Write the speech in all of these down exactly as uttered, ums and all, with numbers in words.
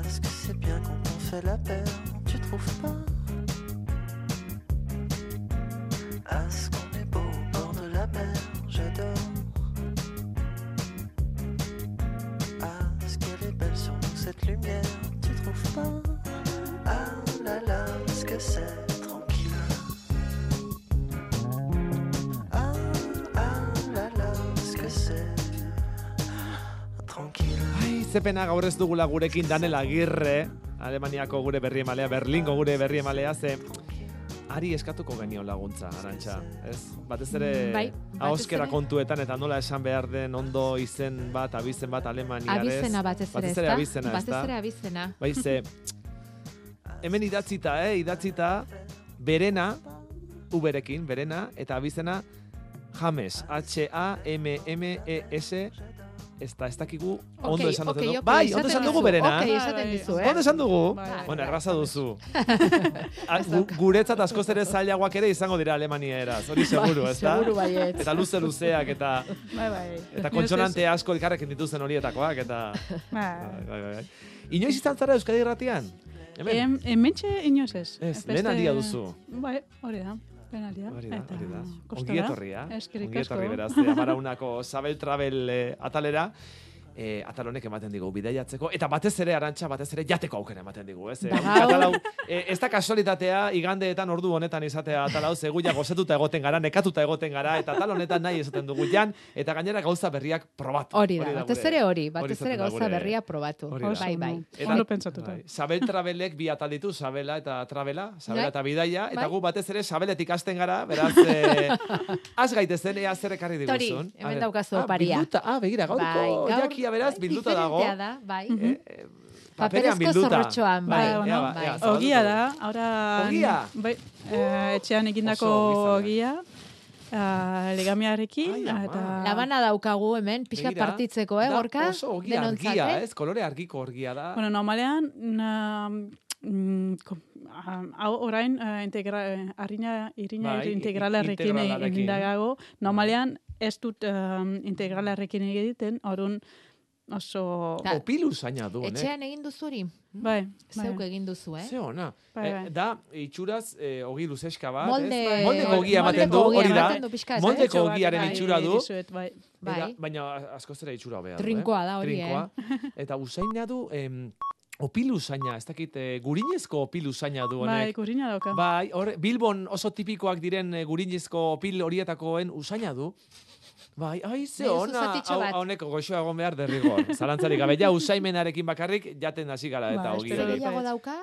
Parce que c'est bien quand on fait la paire, tu trouves pas? Est-ce qu'on est beau au bord de la mer? J'adore. Est-ce qu'elle est belle sur nous cette lumière? Tu trouves pas? Ah là là, est-ce que c'est tranquille? Ah ah là là, est-ce que c'est tranquille? Ai, zepena gaur ez dugula gurekin Daniel Agirre, Alemaniako gure berri emalea, Berlingo gure berri emalea, ze ari eskatuko genion laguntza, Arantxa, ez? Batez ere bai, ahoskera kontuetan eta nola esan behar den ondo izen bat, abizen bat Alemaniarez. Abizena batez ere, batez ere ezta? abizena, Batez ezta? ere abizena. Bai, ze hemen idatzita, eh, idatzita berena, uberekin, berena, eta abizena James, H A M M E S, ez da, ez dakigu ondo esan duten dugu. Bai, ondo esan dugu berena. Ok, esaten dizu, eh? Ondo esan dugu? Bai, bai. Bueno, erraza duzu. A- gu- Guretzat askoz ere zailagoak ere izango dira Alemaniaeraz, hori seguru, ez da? Seguru baietz. Eta luze luzeak, eta Bai, bai. eta kontsonante asko elkarrekin dituzten horietakoak, eta... Bai. Bai, bai, bai. Inoiz izan zara Euskadi Irratian? Hemen? Em, hementxe inoz ez. Ez, Beste- lehen aldia duzu. Bai, hori da. Lehen aldia. Hori da, Eta hori da. kostora. Ongi etorria. Eskerrik Ongi asko. etorri beraz, eh, Amaraunako Sabel Travel eh, atalera. Eh, atal honek ematen digu bidaiatzeko, eta batez ere, Arantxa, batez ere jateko aukera ematen digu, ez? Eh, Ba, atal hau, eh, ez da kasualitatea igandeetan ordu honetan izatea atal hau, seguia gozetuta egoten gara, nekatuta egoten gara, eta atal honetan nahi esaten dugu jan, eta gainera gauza berriak probatu. Hori da, batez gure- ere hori, batez izaten ere da gauza gure- berria probatu. hori da. Bai, bai. Eta- Ondo pentsatuta. Bai. Sabel Travelek bi atal ditu, Sabela eta Travela, Sabela Bai. eta Bidaia, eta Bai. gu batez ere Sabeletik hasten gara, beraz, eh, az gaitezen, ea zer ekarri Tori, diguzun. hemen A ber. daukazu Ah, oparia. bilduta, ah, begira, gaurko Bai, gaur- jakia beraz, bai, bilduta dago. diferentea da, bai. Eh, eh, paperean Paperezko bilduta. zorrotxoan, bai. Bai, bueno, ea, bai. ea, zabalduko Ogia dugu. da, ahora... Ogia? Bai, eh, etxean egindako Oso ogi ogia, uh, legamiarekin, Ai, ama. eta... Labana daukagu hemen, pixka Begira, partitzeko, eh, da gorka? Oso ogia Denontzat, argia, eh? ez? Kolore argiko argia da. Bueno, normalean, na, mm, ko- ah, hau orain, uh, integra, eh, harina, irina Bai, integralarekin integralarekin. egin dago, normalean ez dut um, integralarekin egiten, orduan oso... Da- Opilu zaina du, honek. Etxean egin duzu hori? Bai, bai. Zeuk egin duzu, eh? Ze ona. Bai, Eh, bai. da, itxuraz, eh, ogi luzeska bat, Molde... ez? Moldeko ogia ematen du, moldeko ogia hori da. ematen du pixka, ez, eh? Moldeko Etxo bat, ogiaren bai, itxura du. dizuet, bai. Bai. Eta, baina askoz ere itxura hobea du, Trinkoa eh? da hori, Trinkoa. Eta usaina du, em, opilu zaina, ez dakit, eh, gurinezko opilu zaina du Bai, honek. gurina dauka. Bai, hor, Bilbon oso tipikoak diren eh, gurinezko opil horietakoen usaina du. Bai, ai, ze Nahi duzu ona, zatitxo hau bat? honeko goxoa egon behar derrigor. Zalantzarik gabe, ja usaimenarekin bakarrik jaten hasi gara eta Ba, ogi espero Zer hori. dut. gehiago dauka?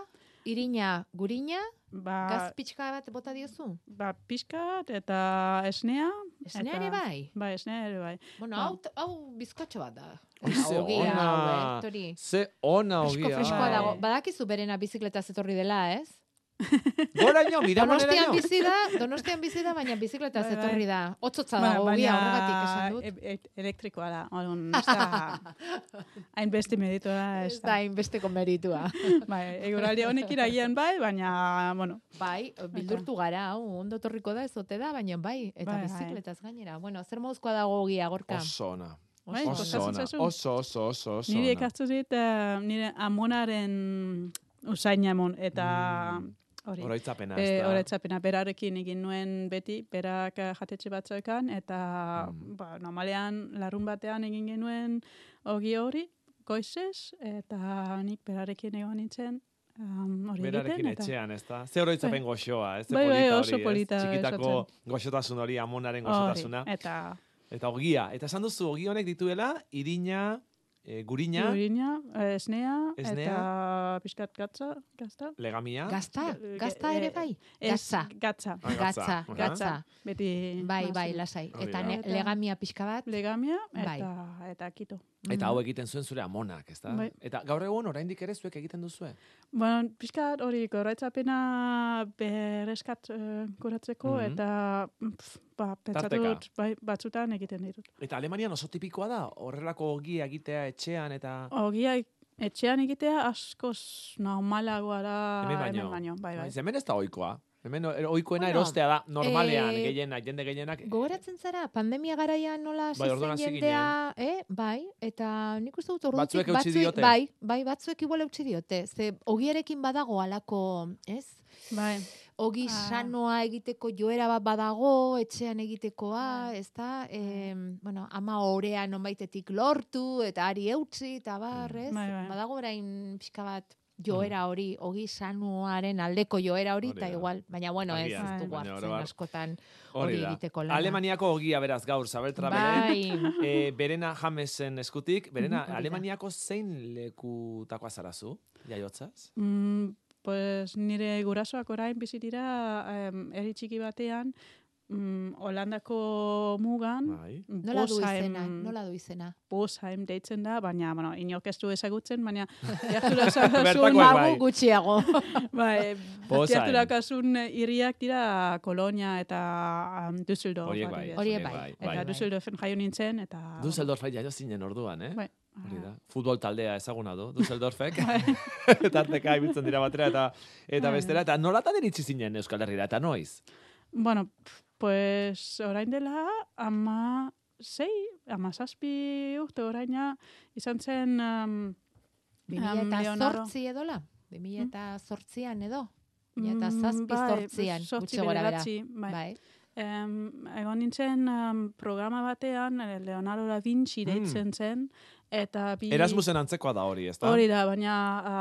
Irina, gurina, Ba, gaz pixka bat bota diozu? ba, pixka bat eta esnea. Esnea eta- ere bai? Bai, esnea ere bai. Bueno, Ba. hau, hau bizkotxo bat da. Ai, ze Ogia, ona. hau, eh, Tori. Ze ona Fresko ogia. freskoa Bai. dago. Badakizu berena bizikleta zetorri dela, ez? Goraino, Donostian miramoneraino. bizi da, Donostian bizi da, baina bizikleta Bai, bai. zetorri da. Otzotza Ba, dago, baina ogia horregatik esan dut. e- e- elektrikoa da. Orduan, ez da hainbeste meritua ez Ez da da. hainbesteko meritua. Bai, eguraldi honek iragian bai, baina, bueno, Bai, bildurtu gara, hau, ondo torriko da, ez ote da, baina bai, eta Bai, bai. bizikletaz gainera. Bueno, zer moduzkoa dago ogia, gorka? Oso ona. Bai, Oso kostatzen ona. zaizu? Oso, oso, oso, oso nire ona. ekartu dit eh, nire amonaren usaina emon, eta hori. Oroitzapena, E, ez da. Horetzapena, berarekin egin nuen beti, berak eh, jatetxe batzuekan, eta Mm. ba, normalean larun batean egin genuen ogi hori, goizez, eta nik berarekin egon nintzen um, hori Berarekin egiten. Eta, etxean, ez da. Ze oroitzapen goxoa, ez? Ze Bai, bai, polita oso hori, ez? polita Txikitako esaten. goxotasun hori, amonaren hori, goxotasuna. eta Eta ogia. Eta esan duzu, ogi honek dituela, irina, e, gurina, gurina, eh, esnea, Esnea. eta pixkat gatza, gazta. legamia. Gazta? Ge- Gazta ge- ere bai? Ez, Gatza. gatza. Ah, Gatza, Aha. gatza. Beti. Bai, bai, mazen. lasai. Hori Eta da. ne- legamia pixka bat? Legamia, Bai. eta, eta kito. Eta hau egiten zuen zure amonak, ez da? Bai. Eta gaur egun, oraindik ere zuek egiten duzue? Bueno, pixkat hori goraitzapena berreskat uh, kuratzeko, Mhm. eta pf, ba, pentsatu Tarteka. dut, bai, batzutan egiten ditut. Eta Alemanian oso tipikoa da, horrelako ogia egitea etxean eta... Ogia etxean egitea askoz normalagoa da Hemen baino. bai, bai. Bai, hemen ez da ohikoa. Hemen ohikoena Bueno, erostea da, normalean, eh, gehienak, jende gehienak. Gogoratzen zara, pandemia garaian nola hasi Bai, orduan zen hasi jendea, eh? Bai, eta nik uste dut ordutik Batzuek eutsi diote. bai, bai, batzuek igual eutsi diote. Ze ogiarekin badago alako, ez? Bai. Ogi Ah. sanoa egiteko joera bat badago, etxean egitekoa, ez da? E, bueno, ama orea nonbaitetik lortu, eta ari eutzi, eta bar, ez? Bai, bai. Badago orain pixka bat joera hori, ogi sanoaren aldeko joera hori, Hori eta da. igual, baina bueno, ez, Agian, ez dugu baina hartzen orobat. askotan Hori hori da. egiteko lana. Alemaniako ogia beraz gaur, Zabeltra beren. Bai. E, berena Jamesen eskutik. Berena, Hori da. Alemaniako zein lekutakoa zarazu? Jaiotzaz? Mm, pues nire gurasoak orain bizitira um, eri txiki batean, mm, Holandako mugan, Bai. Nola du Bosheim- izena, nola du izena? Bosheim deitzen da, baina, bueno, inork ez du ezagutzen, baina gertura Bertakoak zazun, bai. Gutxiago. bai, Bosheim. gertura kasun hiriak dira Kolonia eta um, Düsseldorf. Horiek bai. adibidez. Horiek horiek bai. Eta bai. Düsseldorfen jaio nintzen, eta... Düsseldorf jaio zinen orduan, eh? Bai. Hori da. Futbol taldea ezaguna du, Düsseldorfek. Tarteka ibiltzen dira batera eta eta Bai. bestera. Eta nolatan iritsi zinen Euskal Herrira, eta noiz? Bueno, pues orain dela ama sei, ama zazpi urte oraina izan zen... Um, Bi mila eta Leonardo. zortzi edola? Bi mila eta zortzian edo? Bi mila eta mm, zazpi bai, zortzian, zortzi gutxi gora bera. bederatzi, bai. Bai. Em, egon nintzen um, programa batean, eh, Leonardo da Vinci Mm. deitzen zen, eta bi... Erasmusen antzekoa da hori, ezta? Hori da, baina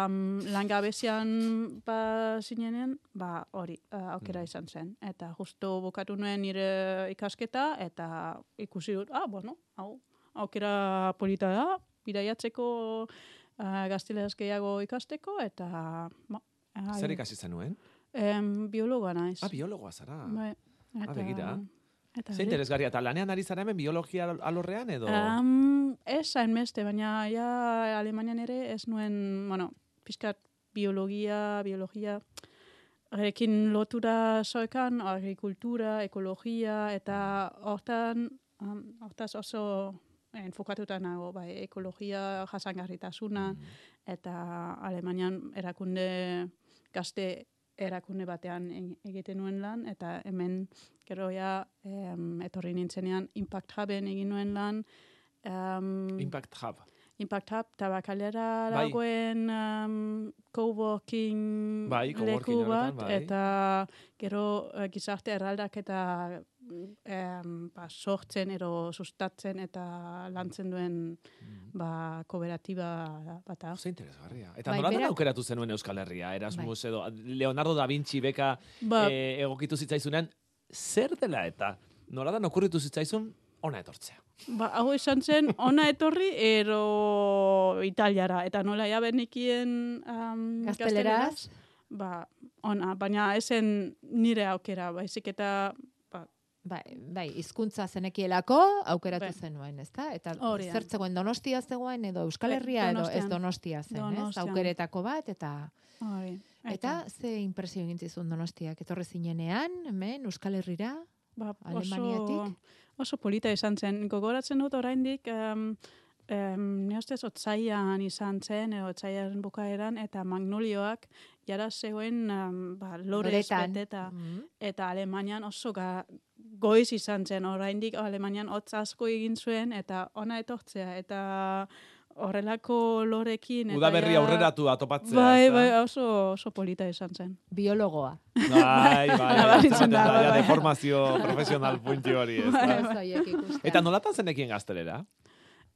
um, langabezian ba zinenen, ba hori, uh, aukera Mm. izan zen. Eta justo bukatu nuen nire ikasketa, eta ikusi dut, ah, bueno, hau, aukera polita da, bidaiatzeko uh, gaztelaz gehiago ikasteko, eta... Ba, Zer ikasi zenuen? Em, biologoa naiz. Ah, biologoa zara. Bai, eta, begira. Eta Ze interesgarria, eta lanean ari zara hemen biologia alorrean edo? Um, ez hainbeste, baina ja Alemanian ere ez nuen, bueno, pixkat biologia, biologia, erekin lotura zoekan, agrikultura, ekologia, eta hortan, um, hortaz oso enfokatuta nago, bai, ekologia jasangarritasuna, eta Alemanian erakunde, gazte erakunde batean e- egiten nuen lan, eta hemen gero ja em, etorri nintzenean Impact Huben egin nuen lan, um, Impact Hub. Impact Hub, tabakalera Bai. dagoen um, coworking Bai, coworking leku bat, horretan, bai. eta gero eh, gizarte erraldak eta em, ba, sortzen edo sustatzen eta lantzen duen ba, kooperatiba bat da. Oso interesgarria. Eta Bai, nolatan berak- aukeratu zenuen Euskal Herria? Erasmus edo Leonardo da Vinci beka Ba, eh, egokitu zitzaizunean, zer dela eta nolatan okurritu zitzaizun ona etortzea? ba, hau esan zen, ona etorri ero italiara, eta nola ja benekien um, Gazteleraz? ba, ona, baina esen nire aukera, baizik eta ba, Bai, bai, hizkuntza zenekielako aukeratu Bai. zenuen, ezta? Eta Hori da. zer zegoen Donostia zegoen edo Euskal Bai, Herria edo ez Donostian. Donostia zen, ez? Donostian. Aukeretako bat eta hori. eta ze impresio egin zizun Donostiak etorri zinenean, hemen Euskal Herrira? ba, oso, Alemaniatik? oso polita izan zen. Gogoratzen dut oraindik um, um, ne ustez otsaian izan zen, edo otsaiaren bukaeran, eta magnolioak jara zegoen um, ba, lorez Loretan. beteta. Mhm. Eta Alemanian oso ga, goiz izan zen, oraindik Alemanian hotz asko egin zuen, eta ona etortzea, eta horrelako lorekin. eta Udaberri ja- aurreratu atopatzea. Bai, ezta? bai, oso, oso polita izan zen. Biologoa. Bai, bai, Nabaritzen da, da, bai, ja, bai. deformazio profesional punti hori, ez Bai, da? Ez horiek ikustea. Eta nolatan zenekien gaztelera?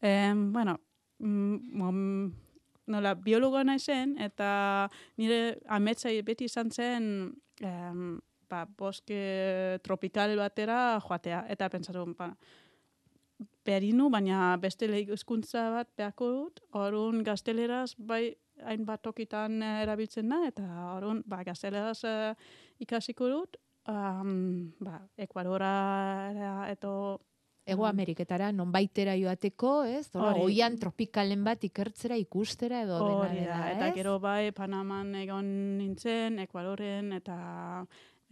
Em, bueno, mm, mm, nola, biologoa naizen, eta nire ametsa beti izan zen em, ba, boske tropikal batera joatea. Eta pentsatu, ba, berinu, baina beste hizkuntza bat beharko dut, orduan gazteleraz bai hainbat tokitan eh, erabiltzen da, eta orduan ba, gazteleraz eh, ikasiko dut, um, ba, Ekuadora eto Ego Ameriketara nonbaitera joateko, ez? Hora, Hori. oian tropikalen bat ikertzera, ikustera edo dena Hori dela, da, ez? eta gero bai Panaman egon nintzen, Ekuadoren eta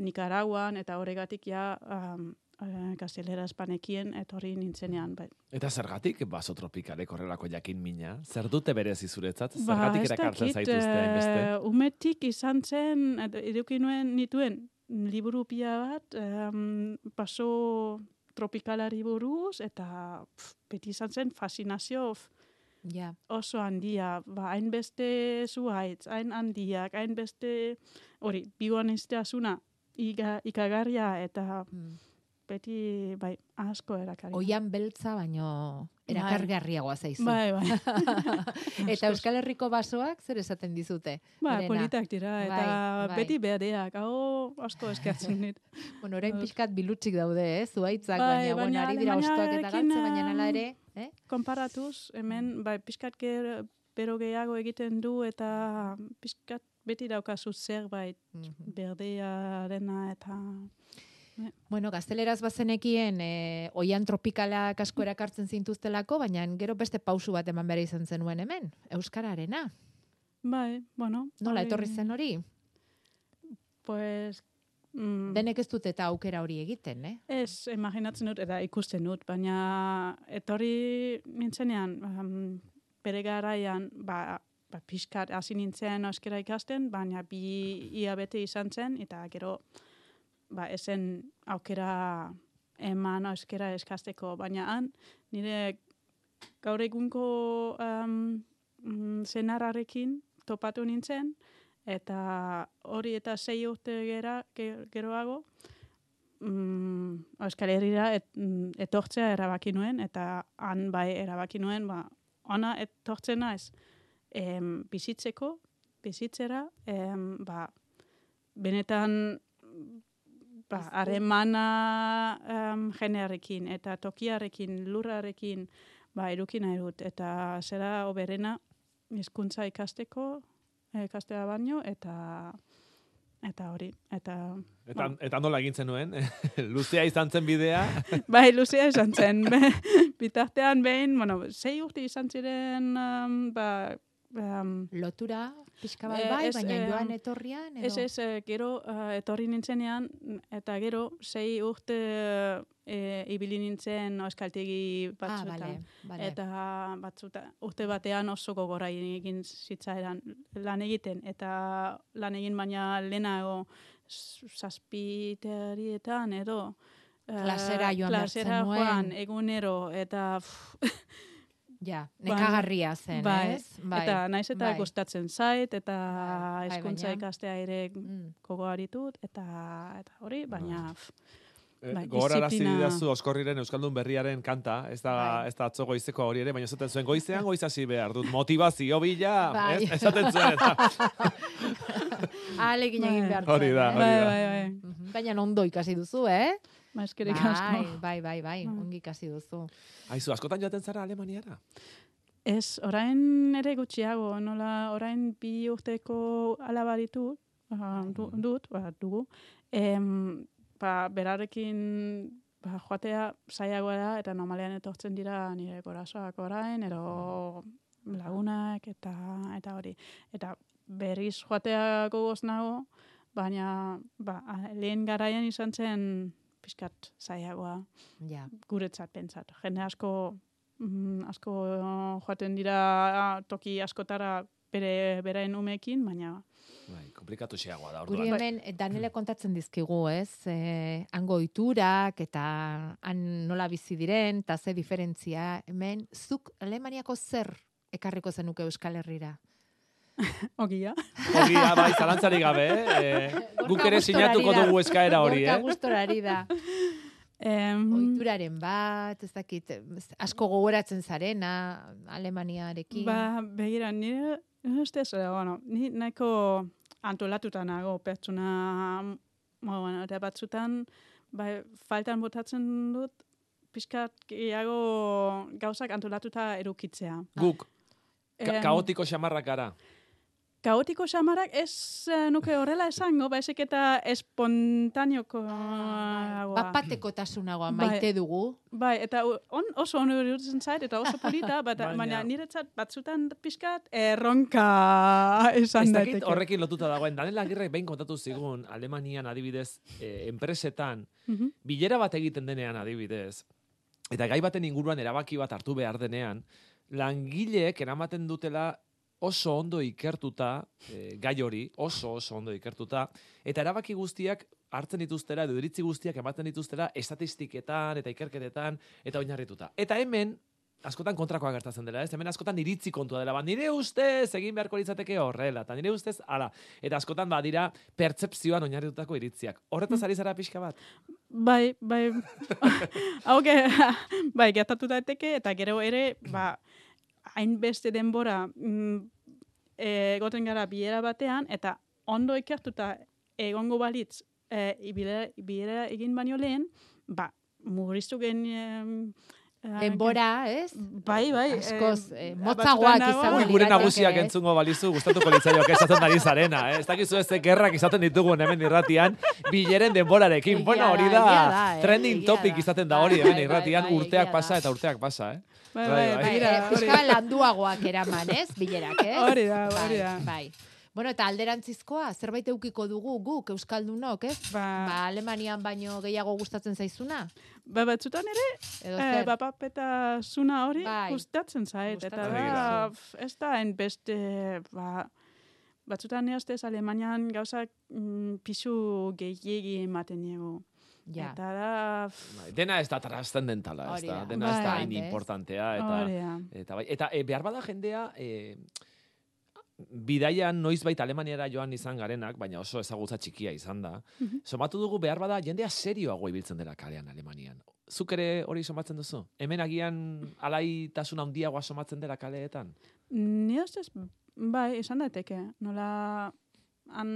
Nicaraguan, eta horregatik ja um, eh, gaztelera espanekien etorri nintzenean. Bai. Eta zergatik baso tropikalek horrelako jakin mina? Zer dute berezi zuretzat? Ba, Zergatik ez erakartzen dakit, zaituzte hainbeste? eh, umetik izan zen, edo- eduki nuen nituen liburu pila bat, um, baso tropikalari buruz, eta pf, beti izan zen fascinazio pf, Ja. oso handia, ba, hainbeste zuhaitz, hain handiak, hainbeste, hori, bigoan izteazuna, ikagarria, eta Mm. beti, bai, asko erakari. Oian beltza, baino erakargarriagoa zaizu. Bai, bai. Eta Euskal Herriko basoak zer esaten dizute? Ba, Berena? politak dira, eta Bai, bai. beti behadeak, hau asko eskatzen dit. Bueno, orain pixkat bilutsik daude, eh? Zuaitzak, Bai, baina, bueno, baina ari dira ostoak eta Alemaniarekin, galtze, baina nala ere, eh? Konparatuz, hemen, bai, pixkat ger, bero gehiago egiten du, eta pixkat beti daukazu zerbait Mhm. berdearena, eta... Bueno, gazteleraz bazenekien, eh, oian tropikalak asko erakartzen zintuztelako, baina gero beste pausu bat eman behar izan zenuen hemen, Euskararena. Bai, bueno... Nola hori- etorri zen hori? Pues... Mm, Denek ez dut eta aukera hori egiten, eh? Ez, imaginatzen dut, eta ikusten dut, baina etorri nintzenean, um, bere garaian, ba, ba, pixkat hasi nintzen euskara ikasten, baina bi ia bete izan zen, eta gero, ba, esen aukera eman euskara eskasteko, baina han, nire gaur egunko um, mm, senarrarekin topatu nintzen, eta hori eta sei urte gera, ge- geroago, mm, Euskal Herrira et, mm, etortzea erabaki nuen, eta han bai erabaki nuen, ba, ona etortzen naiz, em, bizitzeko, bizitzera, em, ba, benetan, ba, harremana em, jenearekin, eta tokiarekin, lurrarekin, ba, eduki nahi dut, eta zera oberena hizkuntza ikasteko, ikastea baino, eta eta hori, eta... Eta, eta nola egin zenuen? Luzea izan zen bidea? Bai, luzea izan zen. Be- Bitartean behin, bueno, sei urte izan ziren, um, ba, um, Lotura, pixka bat Eh, bai, ez, baina eh, joan etorrian, edo? ez ez, eh, gero uh, etorri nintzenean, eta gero sei urte eh, ibili nintzen euskaltegi Ah, batzuetan. bale, bale. Eta batzuta, urte batean oso gogora egin zitzaidan lan egiten, eta lan egin baina lehenago s- zazpiterietan edo eh, Klasera joan behar klasera zenuen. joan egunero, eta pff, Ja, Ba- nekagarria zen, bai, ez? Bai, eta naiz eta bai. gustatzen zait, eta Bai, bai, hezkuntza baina- ikastea ere Mm. gogoa ditut, eta, eta hori, baina... pff, Eh, Bai, Gogorarazi diziplina- didazu Oskorriren Euskaldun berriaren kanta, ez da, Bai. ez da atzo goizeko hori ere, baina esaten zuen goizean goiz hasi behar dut, motivazio bila, Bai. ez? Esaten zuen, eta Ahalegin egin Bai. behar Hori da, zuen, hori eh? bai, bai, bai, Mhm. Baina ondo ikasi duzu, eh? ba, eskerrik Bai, asko. bai, bai, bai, Bai. ongi ikasi duzu. Aizu, askotan joaten zara Alemaniara? Ez, orain ere gutxiago, nola orain bi urteko alaba ditut, ba, du, dut, ba, dugu, em, ba, berarekin ba, joatea zailagoa da, eta normalean etortzen dira nire gorasoak orain, ero lagunak, eta eta hori. Eta berriz joatea gogoz nago, baina ba, lehen garaian izan zen pixkat zailagoa Ja. guretzat pentsat. Jende asko mm, asko joaten dira toki askotara bere beraen umeekin, baina Bai, komplikatu xeagoa da, Guri orduan. hemen, eh, Danele kontatzen dizkigu, ez? Eh, hango oiturak eta han nola bizi diren, eta ze diferentzia. Hemen, zuk Alemaniako zer ekarriko zenuke Euskal Herrira? ogia. Ogia, bai, zalantzarik gabe, eh? guk ere sinatuko dugu eskaera hori, Gorka eh? gustorari da. Em, Oituraren bat, ez dakit, ez- asko gogoratzen zarena, Alemaniarekin. ba, begira, nire ustez, eh, bueno, ni nahiko antolatuta nago pertsona, mo, bueno, eta batzutan, ba, faltan botatzen dut, pixkat gehiago gauzak antolatuta edukitzea. Guk, ka Em, kaotiko xamarrak gara. Kaotiko xamarak ez eh, nuke horrela esango, baizik eta espontaneoko Bapateko tasunagoa Bai. maite dugu. Bai, eta u- on, oso ondo iruditzen zait, eta oso polita, bat, Baina- baina niretzat batzutan pixkat erronka esan Ez dakit daiteke. horrekin lotuta dagoen. Danela Agirrek behin kontatu zigun, Alemanian adibidez, eh, enpresetan, Mhm. bilera bat egiten denean adibidez, eta gai baten inguruan erabaki bat hartu behar denean, langileek eramaten dutela oso ondo ikertuta, e, gai hori, oso oso ondo ikertuta, eta erabaki guztiak hartzen dituztera, edo iritzi guztiak ematen dituztera, estatistiketan eta ikerketetan, eta oinarrituta. Eta hemen, askotan kontrakoa gertatzen dela, ez? Hemen askotan iritzi kontua dela, ba, nire ustez egin beharko litzateke horrela, eta nire ustez, ala, eta askotan badira pertzepzioan oinarritutako iritziak. Horretaz ari zara pixka bat? Bai, bai, hauke, bai, gertatu daiteke, eta gero ere, ba, hainbeste denbora mm, egoten gara bilera batean, eta ondo ikertuta egongo balitz e, bilera, bilera egin baino lehen, ba, murriztu gen... Denbora, ez? Bai, bai. Askoz, eh, motzagoak izango Ui, gure nagusiak entzungo balizu, gustatuko litzaioak esaten ari zarena, eh? Ez dakizu ez gerrak izaten ditugun hemen irratian, bileren denborarekin. Bueno, hori da, trending topic izaten da hori hemen irratian, urteak pasa eta urteak pasa, eh? Bai, bai, bai. Euskal landuagoak eraman, ez? Bilerak, ez? Hori da, hori da. Bai. Bueno, eta alderantzizkoa, zerbait eukiko dugu guk, Euskaldunok, ez? Ba, ba Alemanian baino gehiago gustatzen zaizuna? Ba, batzutan ere, eh, bapapetasuna hori bai. gustatzen zait. Eta Gustatzen da, ez da enbeste, ba, batzutan neoztez Alemanian gauzak mm, pisu gehiegi ematen niego. Ja. Eta da... Bai, dena ez da trascendentala, ez da. Dena ez da hain importantea. Eta, eta, bai, eta e, behar bada jendea... E, bidaian noizbait Alemaniara joan izan garenak, baina oso ezagutza txikia izan da. Mm-hmm. Somatu dugu behar bada jendea serioago ibiltzen dela kalean Alemanian. Zuk ere hori somatzen duzu? Hemen agian alaitasun handiagoa somatzen dela kaleetan? Ni ustez, bai, esan daiteke. Nola han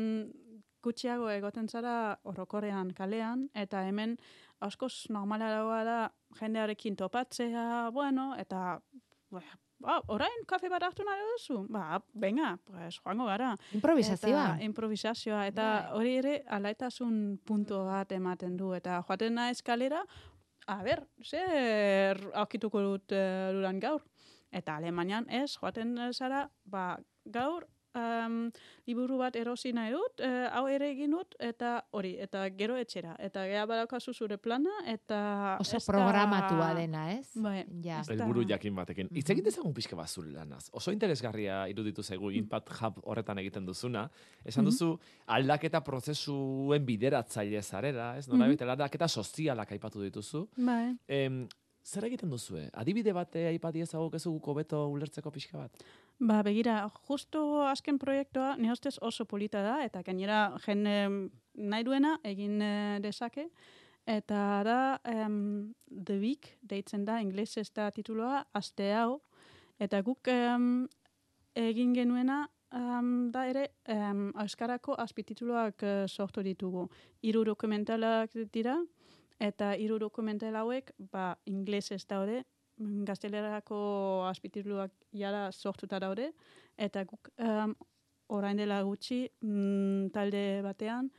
gutxiago egoten zara orokorrean kalean, eta hemen askoz normalagoa da jendearekin topatzea, bueno, eta... Ba, orain kafe bat hartu nahi duzu? Ba, venga, pues, joango gara. Improvisazioa. Eta, improvisazioa. Eta hori ere, alaitasun punto bat ematen du. Eta joaten naiz kalera, a ber, zer aukituko dut uh, duran gaur. Eta Alemanian ez, joaten zara, ba, gaur, um, liburu bat erosi nahi dut, uh, hau ere egin dut, eta hori, eta gero etxera. Eta gea badaukazu zure plana, eta... Oso programatua dena, ez? Bai. Ja. Helburu jakin batekin. Hitz egin dezagun pixka bat zure lanaz. Oso interesgarria iruditu zaigu Impact Hub horretan egiten duzuna. Esan duzu, aldaketa prozesuen bideratzaile zarela, ez? Nora bete, aldaketa sozialak aipatu dituzu. Bai. Em, zer egiten duzue? Adibide bate aipati ezaguk ez guko beto ulertzeko pixka bat? Ba, begira, justo azken proiektua ni ustez oso polita da, eta gainera jende nahi duena egin eh, dezake. Eta da, um, The Week, deitzen da, inglesez da tituloa, aste hau. Eta guk um, egin genuena, um, da ere, um, euskarako azpitituluak uh, sortu ditugu. Hiru dokumentalak dira, eta hiru dokumental hauek, ba, inglesez daude, gaztelerako azpitituluak jara sortuta daude, eta guk um, orain dela gutxi mm, talde batean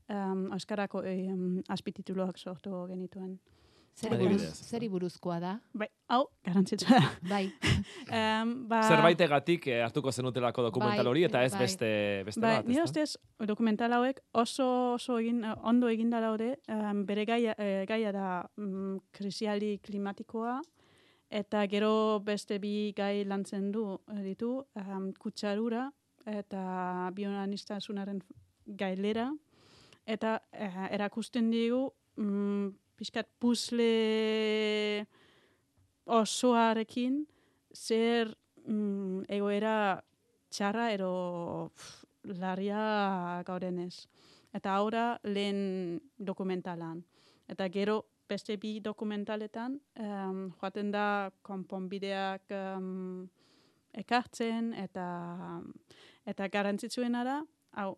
um, euskarako um, azpitituluak sortu genituen. Zer buruz, zeri buruzkoa da? Bai, hau, garantzitsua da. Bai. um, ba, Zerbaitegatik eh, hartuko zenutelako dokumental hori, eta ez bai. beste, beste bai, bat, ni ez da? ustez dokumental hauek oso, oso egin, ondo eginda daude, um, bere gaia, eh, gaia da um, krisialdi klimatikoa, eta gero beste bi gai lantzen du ditu, um, kutsadura eta bioaniztasunaren gailera, eta uh, erakusten digu um, pixkat puzle osoarekin zer um, egoera txarra ero pff, larria gaudenez. Eta ahora lehen dokumentalan. Eta gero beste bi dokumentaletan, um, joaten da konponbideak um, ekartzen, eta eta garantzitsuena da, hau,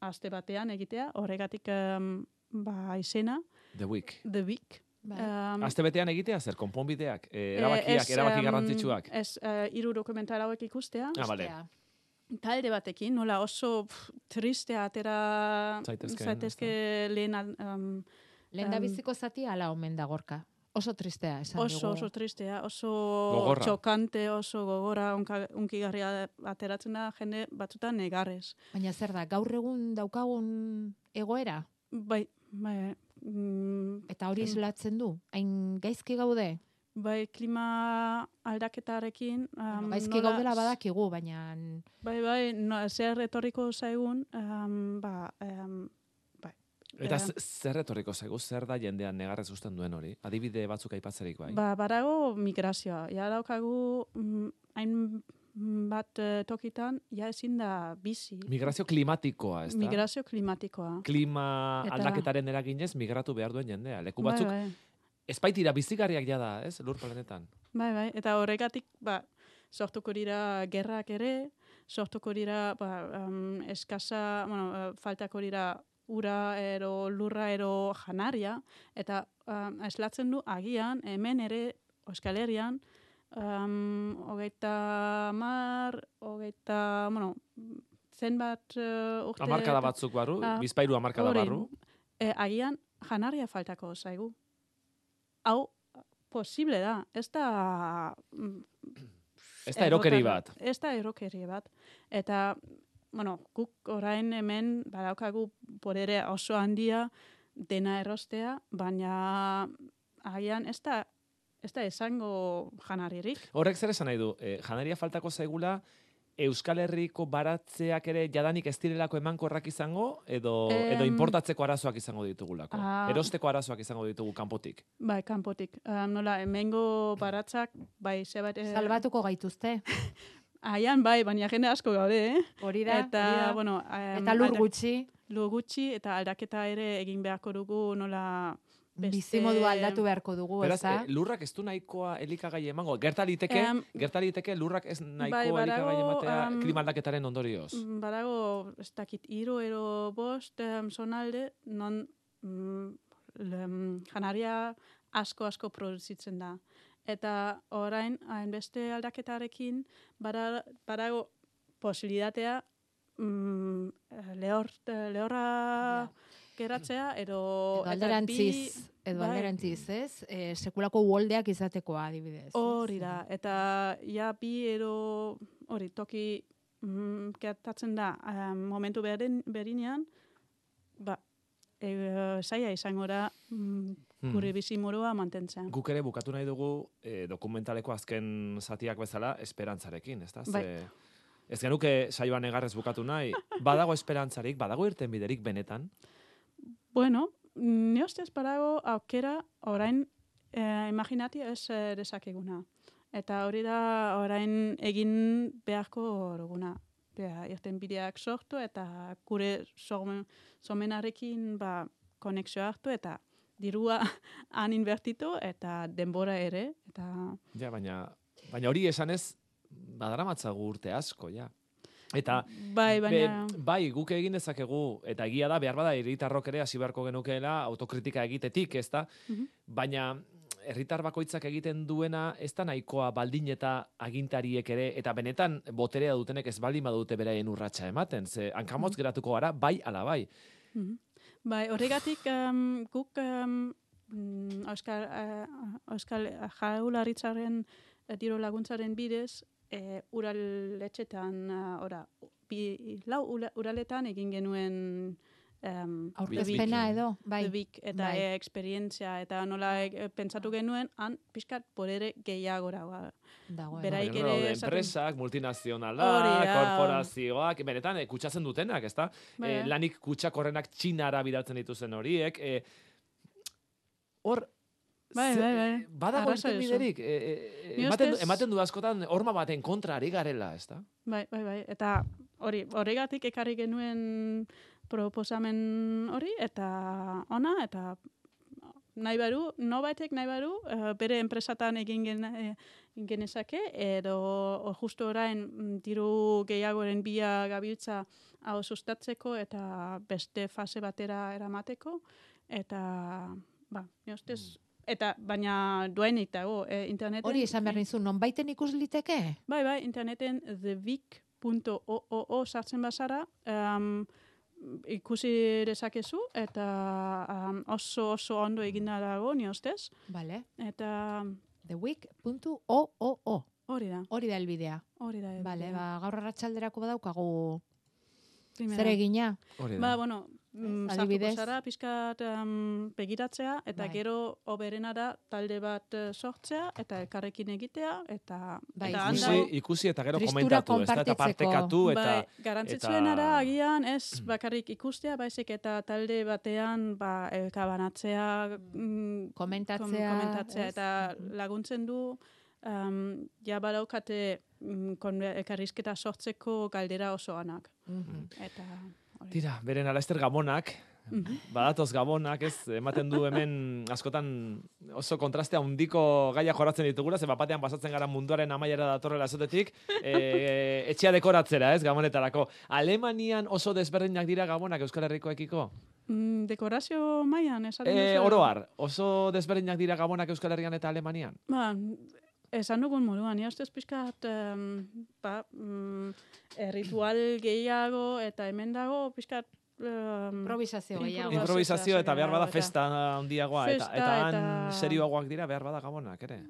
aste batean egitea, horregatik um, ba, izena. The Week. The Week. Um, Aste betean egitea, zer, konponbideak, eh, erabakiak, ez, erabaki um, garrantzitsuak. Ez, uh, hiru dokumental hauek ikustea. Ah, vale. Talde batekin, nola oso pff, triste atera Zaitezkeen, zaitezke lehen... Um, Lehen da biziko zati ala omen da gorka. Oso tristea, esan oso, dugu. Oso tristea, oso Gogorra. txokante, oso gogora, unka, unkigarria ateratzen da jende batzutan negarrez. Baina zer da, gaur egun daukagun egoera? Bai, bai. Mm, Eta hori islatzen du? Hain gaizki gaude? bai, klima aldaketarekin. Um, Gaizki nola- gaudela badakigu, baina Bai, bai, no, zer etorriko zaigun, um, ba, um, Eta Eh, z- zer etorriko zaigu, zer da jendean negarrez usten duen hori? Adibide batzuk aipatzerik bai. ba, badago migrazioa. Ja daukagu mm, hain bat eh, tokitan, ja ezin da bizi. Migrazio klimatikoa, ez da? Migrazio klimatikoa. Klima Eta- aldaketaren eraginez migratu behar duen jendea. Leku Bai, batzuk bai, ez baitira bizigarriak jada, ez? Lur planetan. bai, bai. Eta horregatik, ba, sortuko dira gerrak ere, sortuko dira, ba, um, eskasa, bueno, eh, faltako dira ura ero, lurra ero janaria, eta um, eslatzen du agian, hemen ere, Euskal Herrian, um, hogeita mar, hogeita, bueno, zenbat uh, urte... Hamarkada batzuk barru, Ah, bizpairu hamarkada hori. barru. E, agian janaria faltako zaigu. Hau, posible da. Ez da... mm, Ez da erokeri errotar- bat. Ez da erokeri bat. Eta, bueno, guk orain hemen badaukagu podere oso handia dena erostea, baina agian ez da, ez da esango janaririk. Horrek zer esan nahi du? Eh, janaria faltako zaigula, Euskal Herriko baratzeak ere jadanik ez direlako emankorrak izango, edo, Em, edo importatzeko arazoak izango ditugulako. Ah. Erosteko arazoak izango ditugu kanpotik. Bai, kanpotik. Um, nola, hemengo baratzak, bai, zebat... eh, salbatuko gaituzte. Aian, bai, baina jende asko gaude, eh? Hori da, Eta, hori da. bueno... em, Eta lur aldak- gutxi, Lur gutxi, eta aldaketa ere egin beharko dugu, nola... beste- bizimodu aldatu beharko dugu, Beraz, ez da? eh, lurrak ez du nahikoa elikagai emango. Gertaliteke, Em, gertaliteke lurrak ez nahikoa bai, badago, elikagai ematea em, klima aldaketaren ondorioz. Mm, Badago, ez dakit, hiru ero bost um, zonalde, non mm, lem, janaria asko-asko produzitzen da. Eta orain, hainbeste aldaketarekin, bada- badago posibilitatea mm, lehor, lehorra geratzea, edo... Edo eta alderantziz, bi- edo bai. alderantziz, ez? E, sekulako uoldeak izatekoa, adibidez. ez? Hori da, eta ja bi ero hori toki mm, gertatzen da um, momentu berin, berinean, ba, e, zaila izango da mm, Hmm. gure bizimodua mantentzen. Guk ere bukatu nahi dugu eh, dokumentaleko azken zatiak bezala esperantzarekin, ezta? Ze Bai. ez genuke saioan negarrez bukatu nahi. Badago esperantzarik, badago irten biderik benetan. Bueno, ni ustez badago aukera orain eh, imaginati ez eh, dezakeguna. Eta hori da orain egin beharko duguna. Bea, irten bideak sortu eta gure somen, somenarekin ba, konexio hartu eta dirua han invertitu eta denbora ere. Eta Ja, baina, baina hori esanez, badaramatzagu urte asko, ja. Eta bai, baina... Be, bai, guk egin dezakegu, eta egia da, behar bada, herritarrok ere hasi beharko genukeela autokritika egitetik, ez da? Mhm. Baina herritar bakoitzak egiten duena ez da nahikoa baldin eta agintariek ere, eta benetan boterea dutenek ez baldin badute beraien urratsa ematen, ze hankamotz geratuko gara, bai ala bai. Mhm. Bai, horregatik um, guk um, mm, Euskal, uh, Euskal Jaurlaritzaren uh, diru laguntzaren bidez, uh, uraletxetan, uh, ora, bi, lau ura- uraletan egin genuen um, Aurkezpena edo, bai. The Week, eta bai. e, esperientzia, eta nola e, pentsatu genuen, han pixkat podere gehiagora. Ba. Dagoen. Beraik Baina, ere daude esaten- enpresak, multinazionalak, Hori da. korporazioak, benetan, eh, kutsatzen dutenak, ezta? Bai. Eh, lanik kutsak horrenak txinara bidaltzen dituzen horiek. Eh, hor, Bai, ze- bai, bai. badago Arrazoi irten duzu. biderik. Eh, eh, Ni ematen, du- ustez- ematen du askotan horma baten kontra ari garela, ezta? Bai, bai, bai. Eta hori, horregatik ekarri genuen proposamen hori, eta ona, eta nahi baru, nobaitek nahi baru, eh, bere enpresatan egin gen, eh, genezake, edo o, justu orain mm, diru gehiagoren bila gabiltza hau sustatzeko eta beste fase batera eramateko, eta, ba, ni ustez, eta baina duenik dago, eh, interneten... Hori esan behar nizu, non baiten ikus liteke? Bai, bai, interneten theweek punto org sartzen bazara, um, ikusi dezakezu, eta um, oso oso ondo egina dago, ni ustez. Vale. Eta theweek punto org. hori da, Hori da elbidea. hori da. Vale, elbidea. ba, gaur arratsalderako badaukagu Primera. zer egina. Hori da. Ba, bueno, mm, Adibidez? sartuko zara pixkat um, begiratzea, eta Bai. gero oberena da talde bat eh, sortzea, eta elkarrekin egitea, eta, Bai, eta ikusi- handago- Ikusi, ikusi eta gero Tristura komentatu, ez da, eta konpartitzeko. partekatu, eta... Bai, garrantzitsuena eta- da agian ez bakarrik ikustea, baizik eta talde batean ba, elkabanatzea, mm, Komentatzea, kom- komentatzea ez? eta laguntzen du um, ja badaukate mm, kon- elkarrizketa sortzeko galdera oso anak. Mhm. Eta hori. Tira, beren Alaster Gabonak, Mhm. badatoz Gabonak, ez, ematen du hemen askotan oso kontrastea handiko gaia joratzen ditugula, ze bapatean pasatzen gara munduaren amaiera datorrela esotetik, e, etxea dekoratzera, ez, Gabonetarako. Alemanian oso desberdinak dira Gabonak Euskal Herrikoekiko? Mm, dekorazio mailan esaten E, duzu? oroar, oso desberdinak dira Gabonak Euskal Herrian eta Alemanian? Ba, esan dugun moduan, ja ustez pixkat um, ba, mm, ritual gehiago eta hemen dago pixkat um, Improvisazio gehiago. Impro- Improvisazio eta behar bada eta- festa handiagoa, eta, Festa eta han eta- serioagoak dira behar bada Gabonak, ere?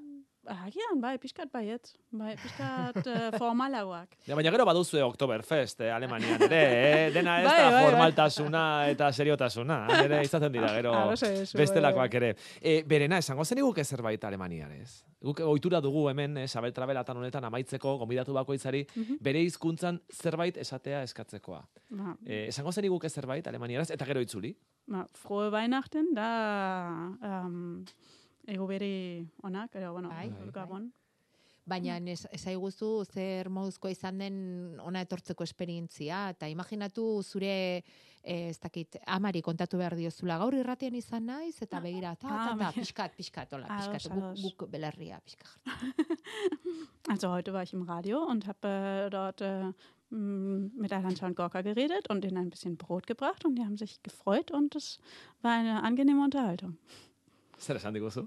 Agian, bai, pixkat baiet. Bai, pixkat uh, formalagoak. Ja, baina gero baduzue Oktoberfest, eh, Alemanian, ere, eh? Dena ez Bai, da bai, bai. formaltasuna eta seriotasuna, ere izaten dira, gero Arrazoi duzu, bestelakoak bai, ere. E, berena, esango zen iguke zerbait Alemanian, ez? Guk ohitura dugu hemen, eh, Sabel Trabelatan honetan amaitzeko, gonbidatu bakoitzari, Mhm. bere hizkuntzan zerbait esatea eskatzekoa. Ba, E, esango zen iguke zerbait Alemaniaraz, eta gero itzuli. ba, frohe Weihnachten, da um, ego bere onak, edo, bueno, Bai, bai. Gabon. Baina ez, ezaiguzu zer moduzko izan den ona etortzeko esperientzia, eta imaginatu zure, eh, ez dakit, amari kontatu behar diozula, gaur irratian izan naiz, eta begira, ta, ta, Ah, ta, bai. pixkat, pixkat, hola, Ados, pixkat, guk, ados. guk belarria, pixkat. Also heute war ich im Radio und habe äh, dort äh, m, mit Alancha und Gorka geredet und ihnen ein bisschen Brot gebracht und die haben sich gefreut und es war eine angenehme Unterhaltung. Zer esan diguzu?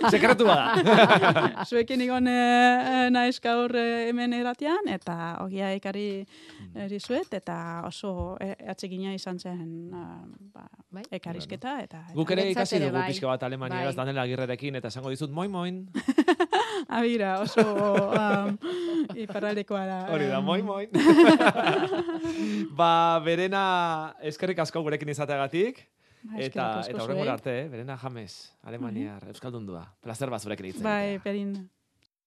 Sekretua da. Zuekin egon eh, naiz gaur eh, hemen eratian, eta ogia ekarri eh, dizuet, eta oso eh, atsegina izan zen eh, ba, Bai. ekarrizketa. Eta, eta Guk ere Guretzat ikasi ere dugu bai. pixka bat Alemaniaraz Bai. Daniel Agirrerekin, eta esango dizut, moin moin. Abira, oso um, iparraldekoa da. Hori da, em, moin moin. Ba, berena eskerrik asko gurekin izateagatik. ba, Eta, eskerrik asko eta horrengora zuei. arte, eh? Berena James, Alemaniar, Euskaldundua. Plazer bat zurekin itzen. Bai, berdin.